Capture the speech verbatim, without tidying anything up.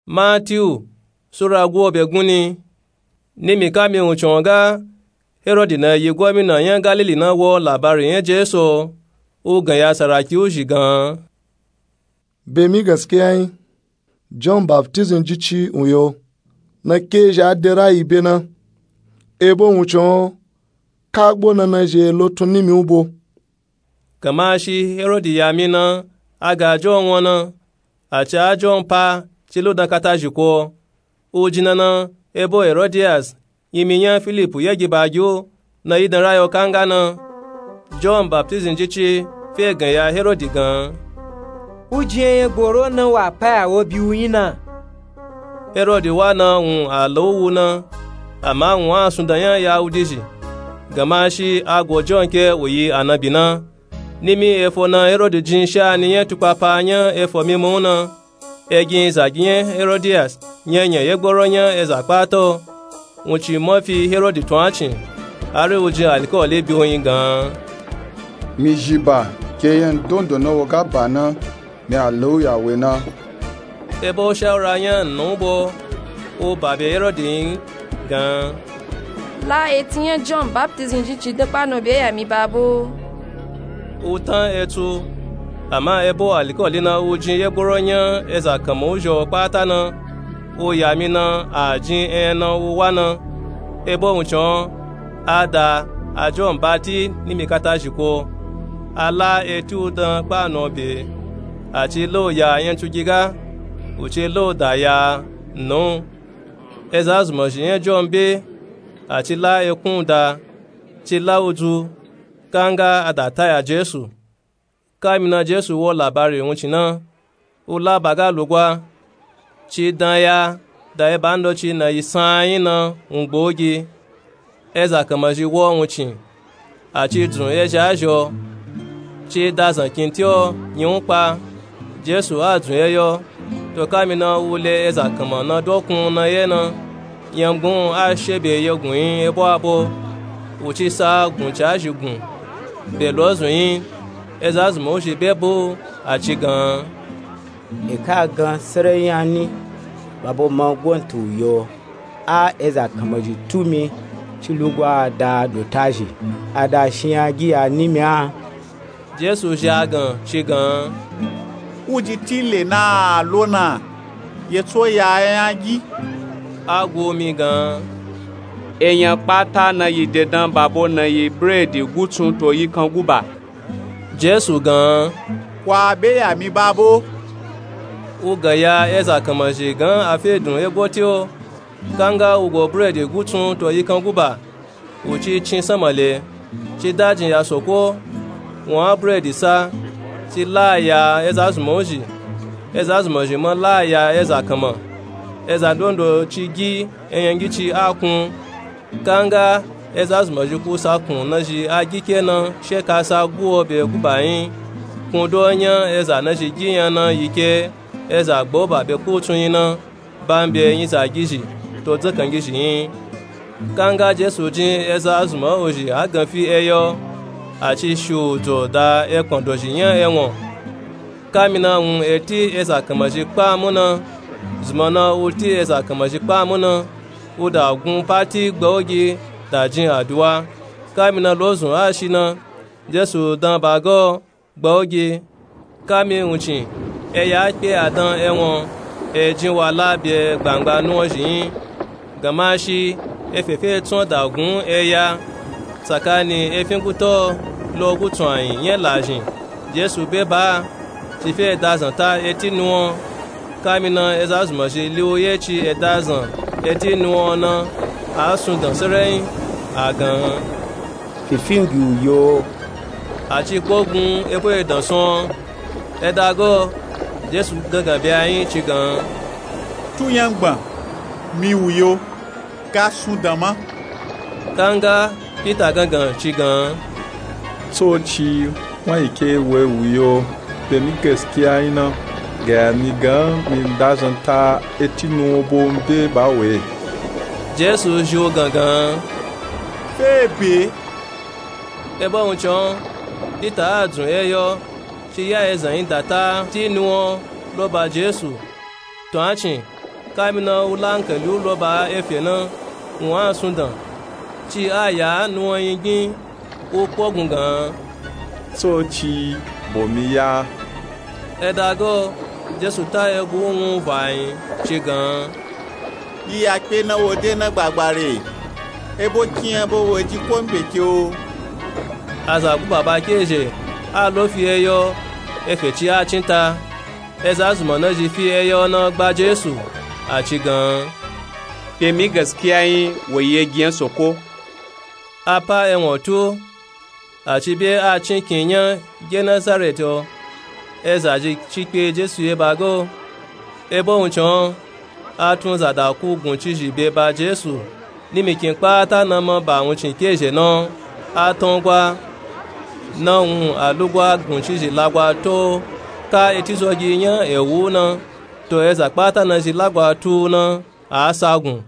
Matiyu sura guobe gunni. Nimi kami wuncin o ga, Herodi na yi gomina nya Galili na wo labari nya Jesu o, u gan ya saraki uzhi gan. Be mi gaskiya nyi, John baptism jici wuyo, na ke zhi a de rayi be na, ebo wuncin o, kagbo na na zhi lo tun nimi u bo. Gama shi Herodi ya mi na, a ga John won na, a ci a John pa ci lu dan kata zhiko. U jin na na, ebo Herodias, yinmi nya Filip ye gi ba gi u, na yi dan rayo kanga na. John baptism jici fe gan ya Herodi gan. U jin eyan gboro na wa pa ya wo bi u nyi na. Herodi wa na wun a lo u wu na, ama wun a sundan nya Yahudi zhi, gama shi a go John ke u yi anabi na. Nimi efo na Herodi jin shani nya tukpapa nya efo mimo u na, egin zagi nya Herodias nya nya ye gboro nya eza kpata o. Wuncin mo fi Herodi tun a cin, hari u jin alikawali bi u nyi gan. Mi zhi ba ke yan dondo na wo ga ba na, mi a lo u ya we na. Ebo shawura nya nna u bo, u ba be Herodi nyi gan. La eti nya John baptism jici dan kpa na u be ya mi ba bo. U tan etu, ama ebo alikawali na u jin ye gboro nya eza kanman uzhi o kpata na, u ya mi na a jin eyan na u wa na. Ebo wuncin o, a da a John ba ti nimi kata zhiko. A la eti u dan kpa na u be, a ci lo u ya nya tugi ga, u ci lo u da ya nna u. Eza zunmazhi nya John be, a ci la ekun u da, ci la u dzu, kanga a da ta ya Jesu. Kami na Jesu wo labari wuncin na, u la ba ga lugwa, ci dan ya da eba ndoci na yi san nyi na wun gbo u gi. Eza kanman zhi wo wuncin, a ci dzun ezhi a zhi o, ci da zan kinti o nyi u kpa. Jesu a dzun ye yo, to kami na u le eza kanman na dokun na ye na, yangban u a she be yegun nyi ebo abo, u ci sa gun ca zhi gun. Be lo zun nyi, eza zunma uzhi be bu, a ci gan. Eka gan sereyi nya ni, babo ma gontu yo, a eza kanman zhi tu mi, ci lugwa a da dota zhi, a da shin ya gi ya nimi a. Jesu zhi a gan ci gan. U ji ti le na a lo na, ye tso ya nya gi. A gu mi gan. Eyan kpata na yi dedan babo na yi bredi gutsun to yikan guba. Jesu gan. Kwa be ya mi babo. U gan ya eza kanman zhi gan a fe dun ebo ti o, kanga u go bredi gutsun to yikan guba. U ci cin sanma le, ci dajin ya soko, wun a bredi sa, ci la ya eza zunma uzhi, eza zunmazhi ma la ya eza kanman. Eza ndondo ci gi eyan ngici a kun. Kanga eza zunmazhi ku sa kun na zhi a gi ke na sheka sa gu o be guba nyi. Kun do nya eza na zhi gi nya na yi ke eza gba u ba be ku tsun nyi na. Bambe nyi zagizhi to dzakangizhi nyi. Kanga Jesu jin eza zunma uzhi a gan fi eya o, a ci shu dzo da ekpan dozhi nya ewon. Kami na wun eti eza kanman zhi kpa muna, zunma na u ti eza kanman zhi kpa muna, u da gun pati gba u gi da jin aduwa. Kami na lo zun a shi na, Jesu dan ba ga o, gba u gi. Kami wuncin, eya a kpe a dan ewon, e jin wala be gbangba nuwon zhi nyi. Gama shi, efe fe tson da gun eya tsakani efin guta lo gutsun ayin nya lazhin. Jesu be ba, ci fe da zan ta eti nuwon. Kami na eza zunmazhi li u ye ci e da zan eti nuwon na, a sun dan serenyi, a gan. Fifingi u yo. A ci kpo gun ebo edan sun o. E da ga o, Jesu gangan be a nyi ci gan. Tu yangban, mi u yo, ka sun dan ma. Kanga Pita gangan ci gan. Tsoci wan yi ke we u yo, be mi gaskiya nyi na, ga ya mi gan mi da zan ta eti nuwon bo mi be ba we. Jesu zhi u gangan. Fe be. Ebo wuncin o, Pita a dzun eya o, ci ya ezan nyi da ta ti nuwon lo ba Jesu. To a cin, Kamina wu lankali wu lo ba efye na, wun a snu dan. Ci a ya nuwan yin gin, wu kpogun gan. Tsoci, bo mi ya. Eda go, Jesu ta egu wu wun vayin, ci gan. Yi ya kpe na wo de na gbagba re, ebo kiyan bo wo ji ko n be ke o. Aza gu baba ke zhe, a lo fi eyo, efye ci a cin ta. Eza zunmọ na zhi fi eyo na gba Jesu, a ci gan. Pe mi gaskiya yin wo yi egi yan soko. A pa ewon tu, a ci bye a cin kin nya Genezareti o. Eza zhi ci kpe Jesu ye ba go, ebo wun can, a tun zada ku guncizhi bye ba Jesu, ni mikin kpata na ma ba wuncin ke zhe na, a tan gwa. Na wun a lugwa guncizhi lagwa to, ka eti zogi nya ewu na, to eza kpata na zhi lagwa tu na, a sa gun.